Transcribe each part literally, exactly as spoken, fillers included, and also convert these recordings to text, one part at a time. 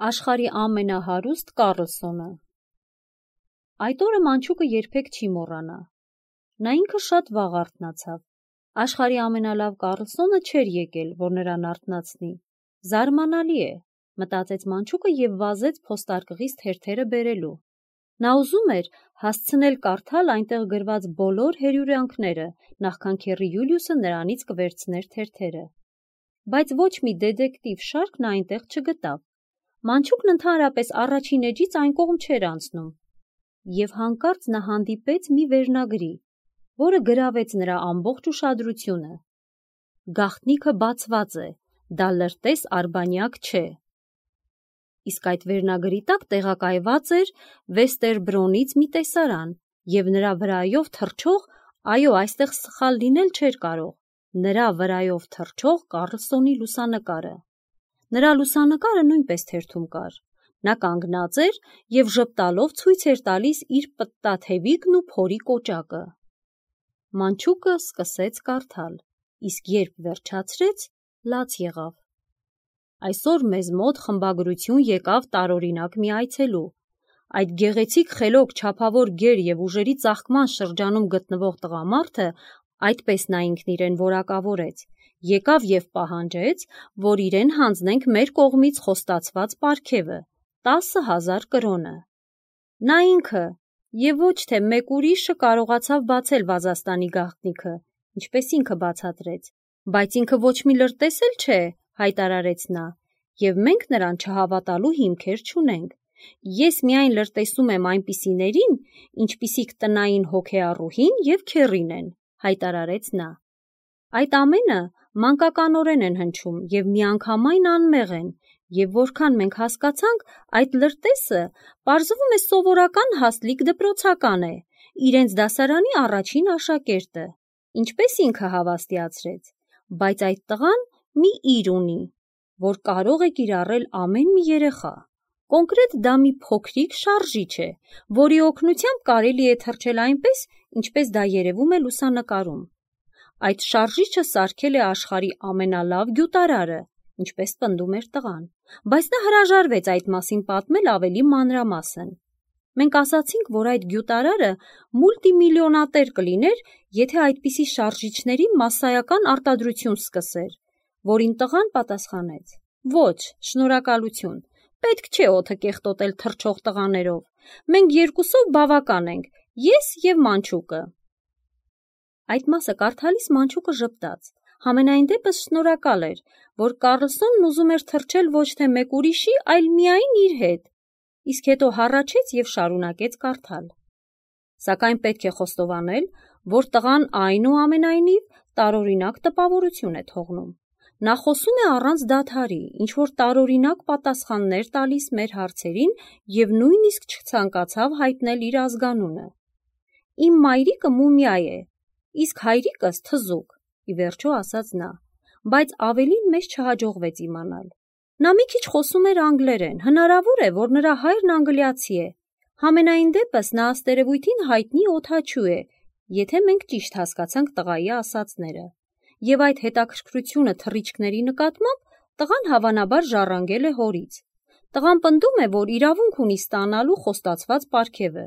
Աշխարհի ամենահարուստ Կառլսոնը։ Այդ օրը Մանչուկը երբեք չի մոռանա։ Նա ինքը շատ վաղ արթնացավ։ Աշխարհի ամենալավ Կառլսոնը չէր եկել, որ նրան արթնացնի։ Զարմանալի է, մտածեց Մանչուկը և վազեց փոստարկղից թերթերը բերելու։ Նա ուզում էր հասցնել կարդալ այնտեղ գրված բոլոր հրյուրյանքները, նախքան քեռի Յուլիուսը նրանից կվերցներ թերթերը։ Բայց ոչ մի դետեկտիվ շարք նա այնտեղ չգտավ։ Մանչուկն ընդհանրապես առաջին էջից այն կողմ չէր անցնում, և հանկարծ նա հանդիպեց մի վերնագրի, որը գրավեց նրա ամբողջ ուշադրությունը։ Գաղտնիքը բացված է, դա լրտես արբանյակ չէ։ Իսկ այդ վերնագրի տակ տեղակայված էր Վեստերբրոնից մի տեսարան, և նրա վրայով թռչող, այո, այստեղ սխալ լինել չէր կարող, նրա վրայով թռչող Կառլսոնի լուսանկարը։ Նրա լուսանկարը նույնպես թերթում կար։ Նա կանգնած էր և ժպտալով ցույց էր տալիս իր պտտաթևիկն ու փորի կոճակը։ Մանչուկը սկսեց կարդալ, իսկ երբ վերջացրեց, լաց եղավ։ Այսօր մեզ մոտ խմբագրություն եկավ տարօրինակ մի այցելու։ Այդ գեղեցիկ խելոք չափավոր գեր և ուժերի ծաղկման շրջանում գտնվող տղամարդը, այդպես նա ինքն իրեն որակավորեց, եկավ և պահանջեց, որ իրեն հանձնենք մեր կողմից խոստացված պարգևը՝ տասը հազար կրոնը։ Նա ինքը և ոչ թե մեկ ուրիշը կարողացավ բացել Վազաստանի գաղտնիքը, ինչպես ինքը բացատրեց, բայց ինքը ոչ մի լրտես էլ չէ, հայտարարեց նա, և մենք նրան չհավատալու հիմքեր չունենք։ Ես միայն լրտեսում եմ այնպիսիներին, ինչպիսիք տնային հոգեառուհին և քեռին են, հայտարարեց նա։ Այդ ամենը մանկականորեն են հնչում և միանգամայն անմեղ են, և որքան մենք հասկացանք, այդ լրտեսը պարզվում է սովորական հաստլիկ դպրոցական է, իրենց դասարանի առաջին աշակերտը, ինչպես ինքը հավաստիացրեց, բայց այդ տղան մի իր ունի, որ կարող է կիրառել ամեն մի երեխա։ Կոնկրետ դա մի փոքրիկ շարժիչ է, որի օգնությամբ կարելի է թռչել այնպես, ինչպես դա երևում է լուսանկարում։ Այդ շարժիչը սարքել է աշխարհի ամենալավ գյուտարարը, ինչպես պնդում էր տղան, բայց նա հրաժարվեց այդ մասին պատմել ավելի մանրամասն։ Մենք ասացինք, որ այդ գյուտարարը մուլտիմիլիոնատեր կլիներ, եթե այդպիսի շարժիչների մասսայական արտադրություն սկսեր, որին տղան պատասխանեց. ոչ, շնորհակալություն, պետք չէ օդը կեղտոտել թռչող տղաներով, մենք երկուսով բավական ենք, ես և Մանչուկը։ Այդ մասը կարդալիս Մանչուկը ժպտաց, համենայն դեպս շնորհակալ էր, որ Կառլսոնն ուզում էր թռչել ոչ թե մեկ ուրիշի, այլ միայն իր հետ, իսկ հետո հառաչեց և շարունակեց կարդալ։ Սակայն պետք է խոստովանել, որ տղան այնուամենայնիվ տարօրինակ տպավորություն է թողնում։ Նա խոսում է առանց դադարի, ինչ-որ տարօրինակ պատասխաններ տալիս մեր հարցերին և նույնիսկ չցանկացավ հայտնել իր ազգանունը։ Իմ մայրիկը մումիա է, իսկ հայրիկս թզուկ, ի վերջո ասաց նա, բայց ավելին մեզ չհաջողվեց իմանալ։ Նա մի քիչ խոսում էր անգլերեն, հնարավոր է, որ նրա հայրն անգլիացի է, համենայն դեպս նա աստերևույթին հայտնի օդաչու է, եթե մենք ճիշտ հասկացանք տղայի ասածները, և այդ հետաքրքրությունը թռիչքների նկատմամբ տղան հավանաբար ժառանգել է հորից։ Տղան պնդում է, որ իրավունք ունի ստանալու խոստացված պարգևը։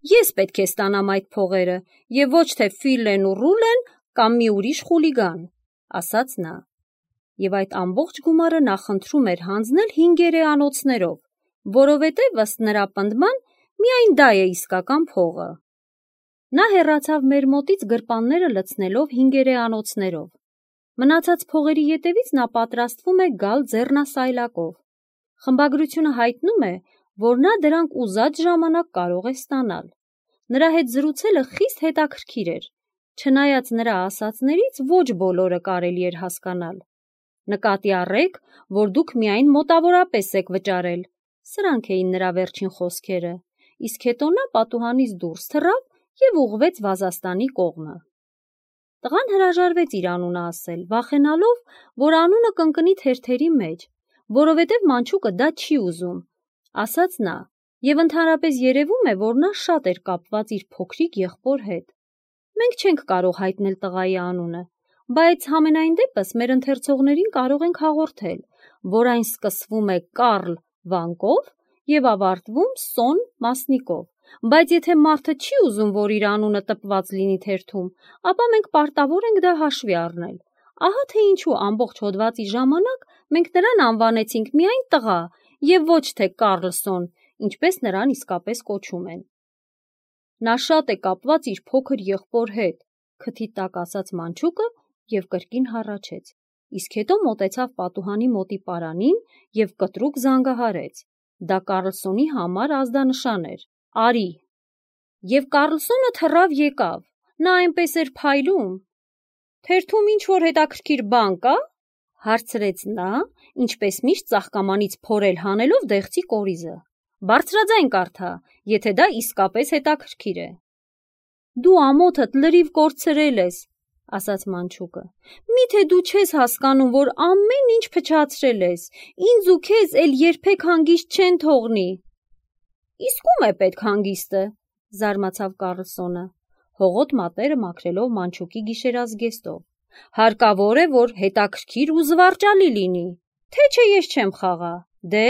Ես պետք է ստանամ այդ փողերը, և ոչ թե Ֆիլլեն ու Ռուլեն կամ մի ուրիշ խուլիգան, ասաց նա։ Եվ այդ ամբողջ գումարը նա խնդրում էր հանձնել հինգերեանոցներով, որովհետև, ըստ նրա պնդման, միայն դա է իսկական փողը։ Նա հեռացավ մեր մոտից գրպանները լցնելով հինգերեանոցներով։ Մնացած փողերի ետևից նա պատրաստվում է գալ ձեռնասայլակով։ Խմբագրությունը հայտնում է, որ նա դրանք ուզած ժամանակ կարող է ստանալ։ Նրա հետ զրուցելը խիստ հետաքրքիր էր, չնայած նրա ասածներից ոչ բոլորը կարելի էր հասկանալ։ Նկատի առեք, որ դուք միայն մոտավորապես եք վճարել, սրանք էին նրա վերջին խոսքերը, իսկ հետո նա պատուհանից դուրս թռավ և ուղղվեց Վազաստանի կողմը։ Տղան հրաժարվեց իր անունը ասել, վախենալով, որ անունը կընկնի թերթերի մեջ, որովհետև Մանչուկը դա չի ուզում, ասաց նա, և ընդհանրապես երևում է, որ նա շատ էր կապված իր փոքրիկ եղբոր հետ։ Մենք չենք կարող հայտնել տղայի անունը, բայց համենայն դեպս մեր ընթերցողներին կարող ենք հաղորդել, որ այն սկսվում է Կարլ վանկով և ավարտվում սոն մասնիկով, բայց եթե մարդը չի ուզում, որ իր անունը տպված լինի թերթում, ապա մենք պարտավոր ենք դա հաշվի առնել։ Ահա թե ինչու ամբողջ հոդվածի ժամանակ մենք նրան անվանեցինք միայն տղա և ոչ թե Կարլսոն, ինչպես նրան իսկապես կոչում են։ Նա շատ է կապված իր փոքր եղբոր հետ, քթի տակ ասաց Մանչուկը և կրկին հառաչեց, իսկ հետո մոտեցավ պատուհանի մոտի պարանին և կտրուկ զանգահարեց։ Դա Կարլսոնի համար ազդանշան էր։ Արի։ Եվ Կարլսոնը թռավ եկավ։ Նա այնպես էր փայլում։ Թերթում ինչ-որ հետաքրքիր բան կա՞, հարցրեց նա, ինչպես միշտ ծաղկամանից փորել հանելով դեղցի կորիզը։ Բարձրաձայն կարդա, եթե դա իսկապես հետաքրքիր է։ Դու ամոթդ լրիվ կորցրել ես, ասաց Մանչուկը։ Միթե դու չես հասկանում, որ ամեն ինչ փչացրել ես, ինձ ու քեզ էլ երբեք հանգիստ չեն թողնի։ Իսկ ում է պետք հանգիստը, զարմացավ Կարլսոնը, հողոտ մատերը մաքրելով Մանչուկի գիշերազգեստով։ Հարկավոր է, որ հետաքրքիր ու զվարճալի լինի, թե չէ ես չեմ խաղա։ Դե,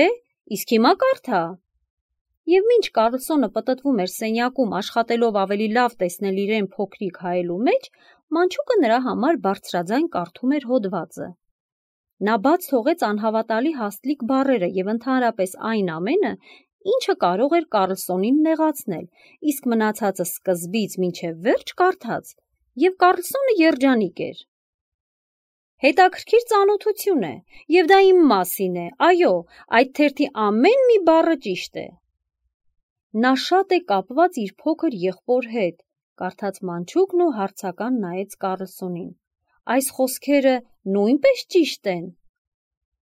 իսկ հիմա կարդա։ Եվ մինչ Կարլսոնը պտտվում էր սենյակում աշխատելով ավելի լավ տեսնել իրեն փոքրիկ հայելու մեջ, Մանչուկը նրա համար բարձրաձայն կարդում էր հոդվածը։ Նա բաց թողեց անհավատալի հաստլիկ բառերը և ընդհանրապես այն ամենը, ինչը կարող էր Կարլսոնին նեղացնել, իսկ մնացածը սկզբից մինչև վերջ կարդաց, և Կարլսոնը երջանիկ էր։ Հետաքրքիր ծանոթություն է, և դա իմ մասին է, այո, այդ թերթի ամեն մի բառը ճիշտ է։ Նա շատ է կապված իր փոքր եղբոր հետ, կարդաց Մանչուկն ու հարցական նայեց Կարլսոնին։ Այս խոսքերը նույնպես ճիշտ են։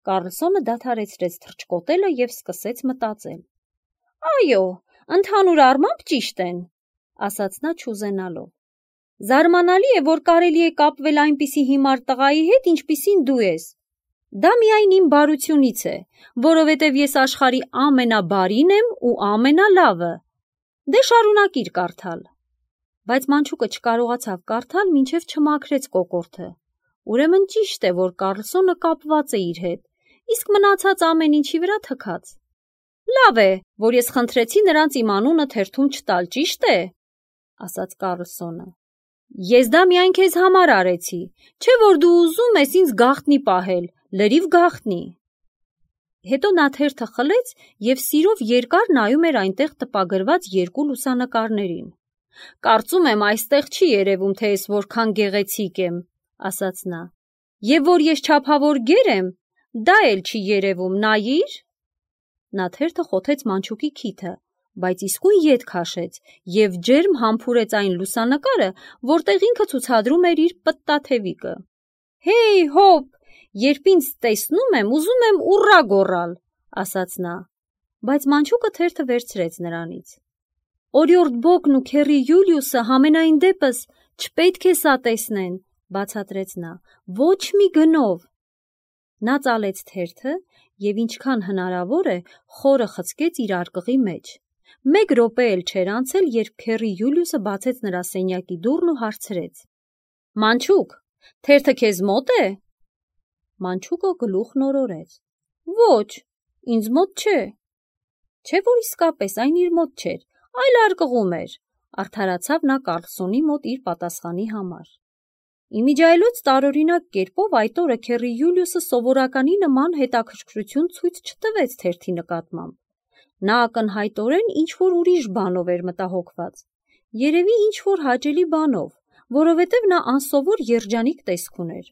Կարլսոնը դադարեցրեց թռչկոտելը և սկսեց մտածել։ Այո, ընդհանուր առմամբ ճիշտ են, ասաց նա չուզենալով։ Զարմանալի է, որ կարելի է կապվել այնպիսի հիմար տղայի հետ, ինչպիսին դու ես։ Դա միայն իմ բարությունից է, որովհետև ես աշխարհի ամենաբարին եմ ու ամենալավը։ Դե շարունակիր կարդալ։ Բայց Մանչուկը չկարողացավ կարդալ, մինչև չմաքրեց կոկորդը։ Ուրեմն ճիշտ է, որ Կարլսոնը կապված է իր հետ, իսկ մնացած ամեն ինչի վրա թքած։ Լավ է, որ ես խնդրեցի նրանց իմ անունը թերթում չտալ, ճիշտ է, ասաց Կարլսոնը։ Ես դա միայն քեզ համար արեցի, չէ որ դու ուզում ես ինձ գաղտնի պահել, լրիվ գաղտնի։ Հետո նա թերթը խլեց և սիրով երկար նայում էր այնտեղ տպագրված երկու լուսանկարներին։ Կարծում եմ այստեղ չի երևում, թե ես որքան գեղեցիկ եմ, ասաց նա։ Եվ որ ես չափավոր գեր եմ, դա էլ չի երևում, նայիր։ Նա թերթը խոթեց Մանչուկի քիթը, բայց իսկույն ետ քաշեց և ջերմ համբուրեց այն լուսանկարը, որտեղ ինքը ցուցադրում էր իր պտտաթևիկը։ Հեյ, հոп, երբ ինձ տեսնում եմ, ուզում եմ ուռա գոռալ, ասաց նա, բայց Մանչուկը թերթը վերցրեց նրանից։ Օրիորդ Բոգն ու քեռի Յուլիուսը համենայն դեպս չպետք է սա տեսնեն, բացատրեց նա, ոչ մի գնով։ Նա ծալեց թերթը և ինչքան հնարավոր է խորը խցկեց իր արկղի մեջ։ Մեկ րոպե էլ չէր անցել, երբ քեռի Յուլիուսը բացեց նրա սենյակի դուռն ու հարցրեց. Մանչուկ, թերթը քեզ մոտ է։ Մանչուկը գլուխն օրորեց. Ոչ, ինձ մոտ չէ։ Չէ որ իսկապես այն իր մոտ չէր, այլ արկղում էր, արդարացավ նա Կարլսոնի մոտ իր պատասխանի համար։ Իմիջիայլոց տարօրինակ կերպով այդ օրը քեռի Յուլիուսը սովորականի նման հետաքրքրություն ցույց չտվեց թերթի նկատմամբ։ Նա ակնհայտորեն ինչ-որ ուրիշ բանով էր մտահոգված, երևի ինչ-որ հաճելի բանով, որովհետև նա անսովոր երջանիկ տեսք ուներ։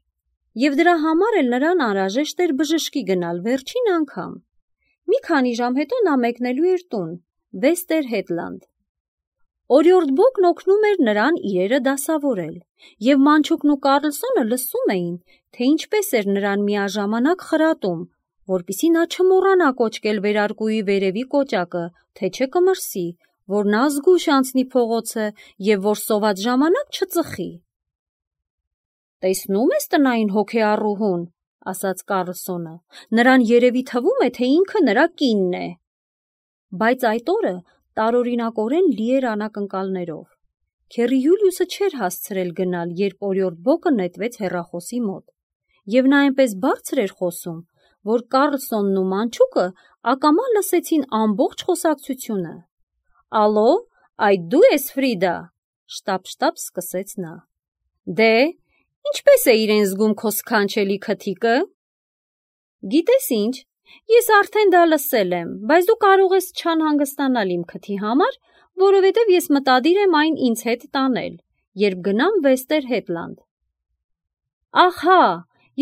Եվ դրա համար էլ նրան անհրաժեշտ էր բժշկի գնալ վերջին անգամ։ Մի քանի ժամ հետո նա մեկնելու էր տուն, Վեստեր Հետլանդ։ Օրիորդ Բոգն օգնում էր նրան իրերը դասավորել, և Մանչուկն ու Կարլսոնը լսում էին, թե ինչպես էր նրան միաժամանակ խրատում, որպեսզի նա չմոռանա կոչկել վերարկուի վերևի կոճակը, թե չէ կմրսի, որ նա զգույշ անցնի փողոցը և որ սոված ժամանակ չծխի։ Տեսնում ես տնային հոգեառուհուն, ասաց Կարլսոնը, նրան երևի թվում է, թե ինքը նրա կինն է։ Բայց այդ օրը տարօրինակորեն լի էր անակնկալներով։ Քեռի Յուլիուսը չէր հասցրել գնալ, երբ օրիորդ Բոգը նետվեց հեռախոսի մոտ, և նա այնպես բարձր էր խոսում, որ Կառլսոնն ու Մանչուկը ակամա լսեցին ամբողջ խոսակցությունը։ «Ալո, այդ դու ես Ֆրիդա», շտապ-շտապ սկսեց նա։ «Դե, ինչպես է իրեն զգում քո սքանչելի քթիկը»։ «Գիտես ինչ, ես արդեն դա լսել եմ, բայց դու կարող ես չանհանգստանալ իմ քթի համար, որովհետև ես մտադիր եմ այն ինձ հետ տանել, երբ գնամ Վեստերհեդլանդ»։ «Ահա,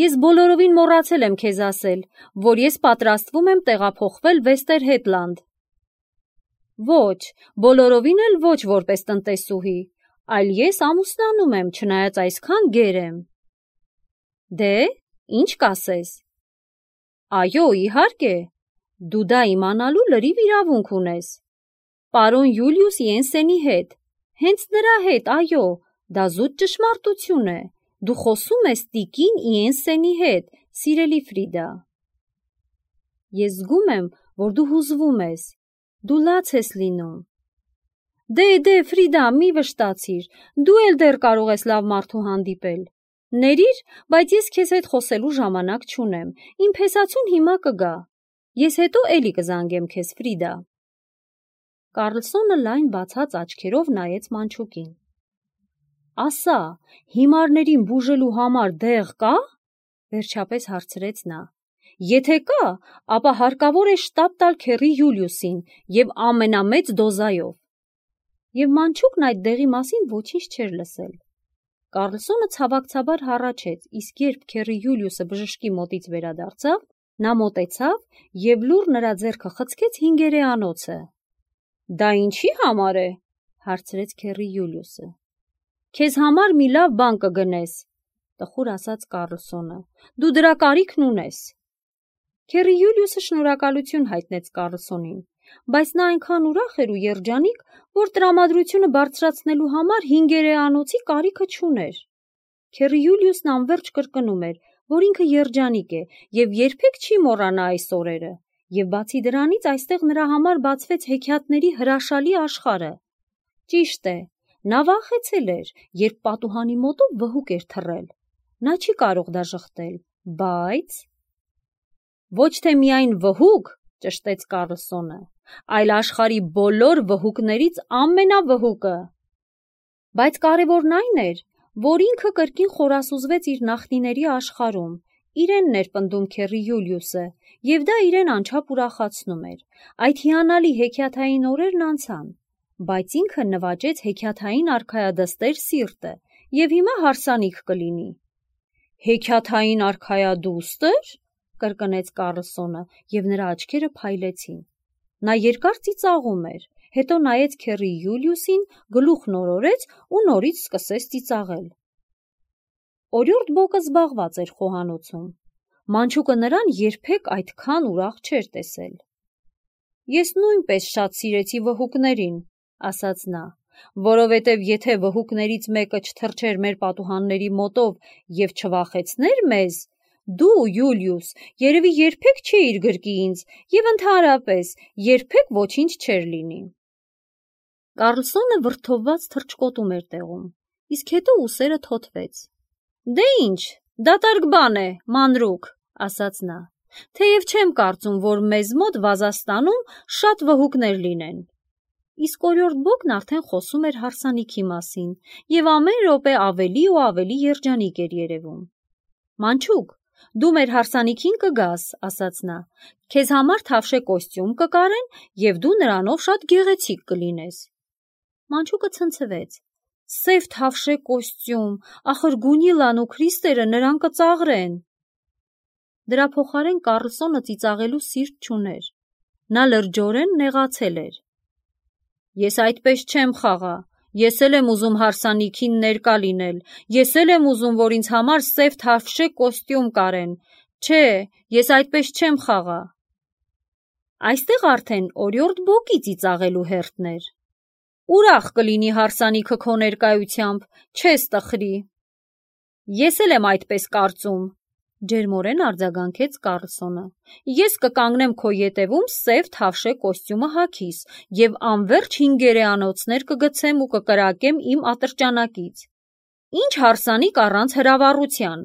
ես բոլորովին մոռացել եմ քեզ ասել, որ ես պատրաստվում եմ տեղափոխվել Վեստերհեդլանդ»։ «Ոչ, բոլորովին էլ ոչ որպես տնտեսուհի, այլ ես ամուսնանում եմ, չնայած այսքան գեր եմ»։ «Դե, ինչ կասես»։ «Այո, իհարկե, դու դա իմանալու լրիվ իրավունք ունես։ Պարոն Յուլիուս Յենսենի հետ, հենց նրա հետ, այո, դա զուտ ճշմարտություն է, դու խոսում ես տիկին Յենսենի հետ, սիրելի Ֆրիդա»։ «Ես զգում եմ, որ դու հուզվում ես, դու լաց ես լինում»։ «Դե, դե, Ֆրիդա, մի վշտացիր, դու էլ դեռ կարող ես լավ մարդու հանդիպել։ Ներիր, բայց ես քեզ հետ խոսելու ժամանակ չունեմ, իմ փեսացուն հիմա կգա։ Ես հետո էլի կզանգեմ քեզ, Ֆրիդա»։ Կառլսոնը լայն բացած աչքերով նայեց Մանչուկին։ «Ասա, հիմարներին բուժելու համար դեղ կա»։ վերջապես հարցրեց նա։ «Եթե կա, ապա հարկավոր է շտապ տալ քեռի Յուլիուսին և ամենամեծ դոզայով»։ Եվ Մանչուկն այդ դեղի մասին ոչինչ չէր լսել։ Կառլսոնը ցավակցաբար հառաչեց, իսկ երբ քեռի Յուլիուսը բժշկի մոտից վերադարձավ, նա մոտեցավ և լուռ նրա ձեռքը խցկեց հինգերեանոցը։ «Դա ինչի համար է»։ հարցրեց քեռի Յուլիուսը։ «Քեզ համար մի լավ բան կգնես», տխուր ասաց Կառլսոնը։ «Դու դրա կարիքն ունես»։ Քեռի Յուլիուսը շնորհակալություն հայտնեց Կառլսոնին, բայց նա այնքան ուրախ էր ու երջանիկ, որ տրամադրությունը բարձրացնելու համար հինգերեանոցի կարիքը չուներ։ Քեռի Յուլիուսն անվերջ կրկնում էր, որ ինքը երջանիկ է և երբեք չի մոռանա այս օրերը, և բացի դրանից այստեղ նրա համար բացվեց հեքիաթների հրաշալի աշխարհը։ Ճիշտ է, նա վախեցել էր, երբ պատուհանի մոտով վհուկ էր թռել։ Նա չի կարող դա ժխտել, բայց… «Ոչ թե միայն վհուկ», ճշտեց Կառլսոնը, «այլ աշխարհի բոլոր վհուկներից ամենավհուկը»։ Բայց կարևորն այն էր, որ ինքը կրկին խորասուզվեց իր նախնիների աշխարհում, իրենն էր պնդում քեռի Յուլիուսը, և դա իրեն անչափ ուրախացնում էր։ Այդ հիանալի հեքիաթային օրերն անցան, բայց ինքը նվաճեց հեքիաթային արքայադստեր սիրտը, և հիմա հարսանիք կլինի։ «Հեքիաթային արքայադուստր»։ կրկնեց Կառլսոնը, և նրա աչքերը փայլեցին։ Նա երկար ծիծաղում էր, հետո նայեց քեռի Յուլիուսին, գլուխն օրորեց ու նորից սկսեց ծիծաղել։ Օրիորդ Բոկը զբաղված էր խոհանոցում։ Մանչուկը նրան երբեք այդքան ուրախ չէր տեսել։ «Ես նույնպես շատ սիրեցի վհուկներին», ասաց նա, «որովհետև եթե վհուկներից մեկը չթռչեր մեր պատուհանների մոտով և չվախեցներ մեզ, դու, Յուլիուս, երևի երբեք չէիր գրկի ինձ և ընդհանրապես երբեք ոչինչ չէր լինի»։ Կառլսոնը վրդովված թռչկոտում էր տեղում, իսկ հետո ուսերը թոթվեց։ «Դե ինչ, դատարկ բան է, մանրուք», ասաց նա, «թեև չեմ կարծում, որ մեզ մոտ Վազաստանում շատ վհուկներ լինեն»։ Իսկ օրիորդ Բոկն արդեն խոսում էր հարսանիքի մասին և ամեն րոպե ավելի ու ավելի երջանիկ էր երևում։ «Մանչուկ, դու մեր հարսանիքին կգաս», ասաց նա, «քեզ համար թավշե կոստյում կկարեն և դու նրանով շատ գեղեցիկ կլինես»։ Մանչուկը ցնցվեց։ «Սև թավշե կոստյում, ախր Գունիլան ու Քրիստերը նրան կծաղրեն»։ Դրա փոխարեն Կառլսոնը ծիծաղելու սիրտ չուներ։ Նա լրջորեն նեղացել էր։ «Ես այդպես չեմ խաղա, ես էլ եմ ուզում հարսանիքին ներկա լինել, ես էլ եմ ուզում, որ ինձ համար սև թավշե կոստյում կարեն, չէ, ես այդպես չեմ խաղա»։ Այստեղ արդեն օրիորդ Բոկի ծիծաղելու հերթն էր։ «Ուրախ կլինի հարսանիքը քո ներկայությամբ, չես տխրի»։ «Ես էլ եմ այդպես կարծում», ջերմորեն արձագանքեց Կառլսոնը։ «Ես կկանգնեմ քո ետևում սև թավշե կոստյումը հագիս և անվերջ հինգերեանոցներ կգցեմ ու կկրակեմ իմ ատրճանակից։ Ինչ հարսանիք առանց հրավառության»։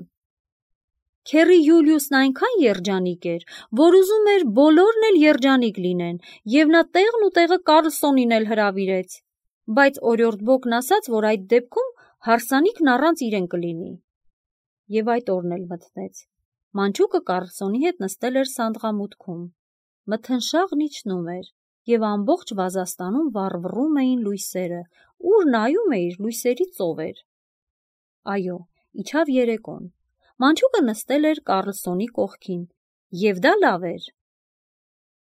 Քեռի Յուլիուսն այնքան երջանիկ էր, որ ուզում էր բոլորն էլ երջանիկ լինեն, և նա տեղն ու տեղը Կարլսոնին էլ հրավիրեց, բայց օրիորդ Բոկն ասաց, որ այդ դեպքում հարսանիքն առանց իրեն կլինի։ Եվ այդ օրն էլ մթնեց։ Մանչուկը Կարլսոնի հետ նստել էր սանդղամուտքում։ Մթնշաղն իջնում էր, և ամբողջ Վազաստանում վառվռում էին լույսերը, ուր նայում էիր լույսերի ծով էր։ Այո, իջավ երեկոն։ Մանչուկը նստել էր Կարլսոնի կողքին, և դա լավ էր։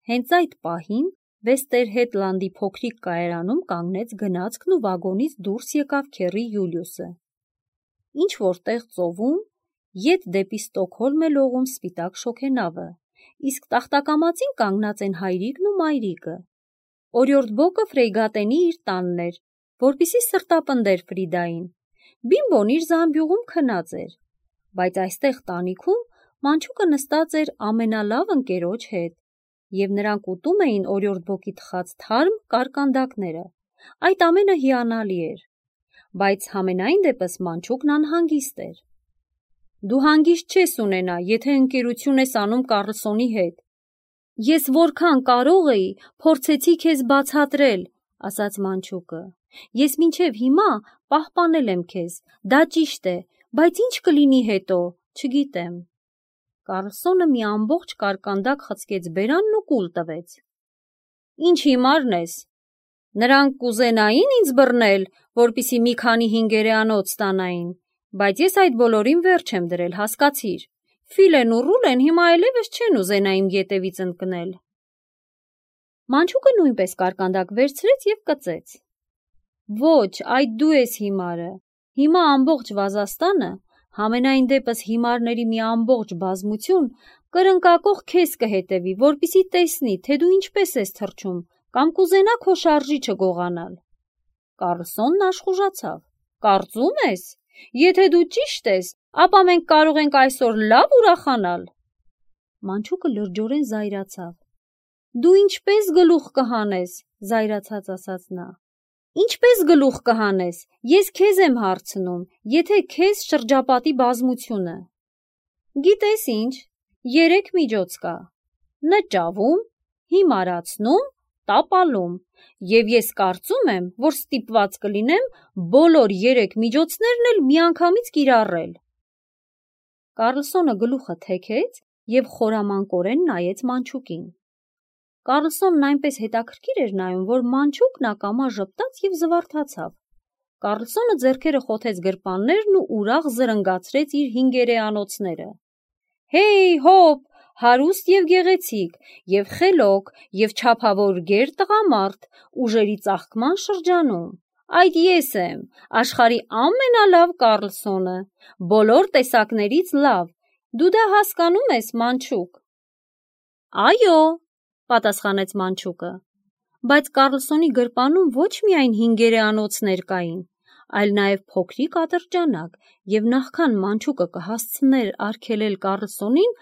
Հենց այդ պահին Վեստերհեդլանդի փոքրիկ կայարանում կանգնեց գնացքն ու վագոնից դուրս եկավ քեռի Յուլիուսը։ Ինչ-որ տեղ ծովում, ետ դեպի Ստոկհոլմ է լողում սպիտակ շոգենավը, իսկ տախտակամածին կանգնած են հայրիկն ու մայրիկը։ Օրիորդ Բոկը Ֆրեյգատենի իր տանն էր, որպեսզի սրտապնդեր Ֆրիդային։ Բիմբոն իր զամբյուղում քնած էր, բայց այստեղ տանիքում Մանչուկը նստած էր ամենալավ ընկերոջ հետ, և նրանք ուտում էին օրիորդ Բոկի թխած թարմ կարկանդակները։ Այդ ամենը հիանալի էր, բայց համենայն դեպս Մանչուկն անհանգիստ էր։ Դու հանգիստ չես ունենա, եթե ընկերություն ես անում Կարլսոնի հետ։ Ես որքան կարող էի, փորձեցի քեզ բացատրել, ասաց Մանչուկը։ Ես մինչև հիմա պահպանել եմ քեզ, դա ճիշտ է, բայց ինչ կլինի հետո, չգիտեմ։ Կարլսոնը մի ամբողջ կարկանդակ խցկեց բերանն ու կուլ տվեց։ Ինչ հիմարն ես։ Նրանք կուզենային ինձ բռնել, որպեսզի մի քանի հինգերեանոց ստանային, բայց ես այդ բոլորին վերջ եմ դրել, հասկացիր։ Ֆիլեն ու Ռուլեն հիմա այլևս չեն ուզենա իմ ետևից ընկնել։ Մանչուկը նույնպես կարկանդակ վերցրեց և կծեց։ Ոչ, այդ դու ես հիմարը։ Հիմա ամբողջ Վազաստանը, համենայն դեպս հիմարների մի ամբողջ բազմություն, կրնկակող քեզ կհետևի, որպեսզի տեսնի, թե դու ինչպես ես թռչում, կամ կուզենա քո շարժիչը գողանալ։ Կարլսոնն աշխուժացավ։ Կարծում ես, եթե դու ճիշտ ես, ապա մենք կարող ենք այսօր լավ ուրախանալ։ Մանչուկը լրջորեն զայրացավ։ Դու ինչպես գլուխ կհանես, զայրացած ասաց նա։ Ինչպես գլուխ կհանես, ես քեզ եմ հարցնում, եթե քեզ շրջապատի բազմությունը։ Գիտես ինչ, երեք միջոց կա. նճավում, հիմարացնում, տապալում, և ես կարծում եմ, որ ստիպված կլինեմ բոլոր երեք միջոցներն էլ միանգամից կիրառել։ Կարլսոնը գլուխը թեքեց և խորամանկորեն նայեց Մանչուկին։ Կարլսոնն այնպես հետաքրքիր էր նայում, որ Մանչուկն ակամա ժպտաց և զվարթացավ։ Կարլսոնը ձեռքերը խոթեց գրպաններն ու ուրախ զրնգացրեց իր հինգերեանոցները։ Հեյ, հոպ, հարուստ և գեղեցիկ, և խելոք, և չափավոր գեր տղամարդ, ուժերի ծաղկման շրջանում։ Այդ ես եմ, աշխարհի ամենալավ Կարլսոնը, բոլոր տեսակներից լավ, դու դա հասկանում ես, Մանչուկ։ Այո, պատասխանեց Մանչուկը, բայց Կարլսոնի գրպանում ոչ միայն հինգերեանոցներ կային, այլ նաև փոքրիկ ատրճանակ, և նախքան Մանչուկը կհասցներ արգելել Կարլսոնին,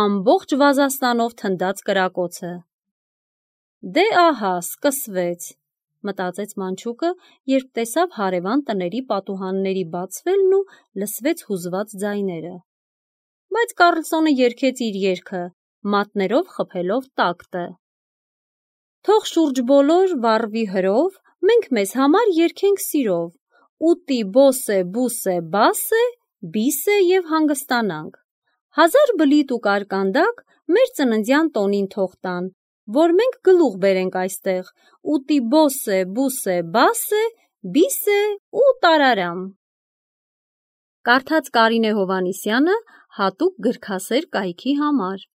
ամբողջ Վազաստանով թնդած կրակոցը։ Դե ահա, սկսվեց, մտածեց Մանչուկը, երբ տեսավ հարևան տների պատուհանների բացվելն ու լսվեց հուզված ձայները։ Բայց Կարլսոնը երգեց իր երգը, մատներով խփելով տակտը։ Թող շուրջ բոլոր վառվի հրով, մենք մեզ համար երգենք սիրով, ուտի բոսե, բուսե, բասե, բիսե և հանգստանանք։ Հազար բլիթ ու կարկանդակ մեր ծննդյան տոնին թող տան, որ մենք գլուխ բերենք այստեղ, ուտի բոսե, բուսե, բասե, բիսե ու տարարամ։ Կարդաց Կարինե Հովհաննիսյանը հատուկ գրքասեր կայքի համար։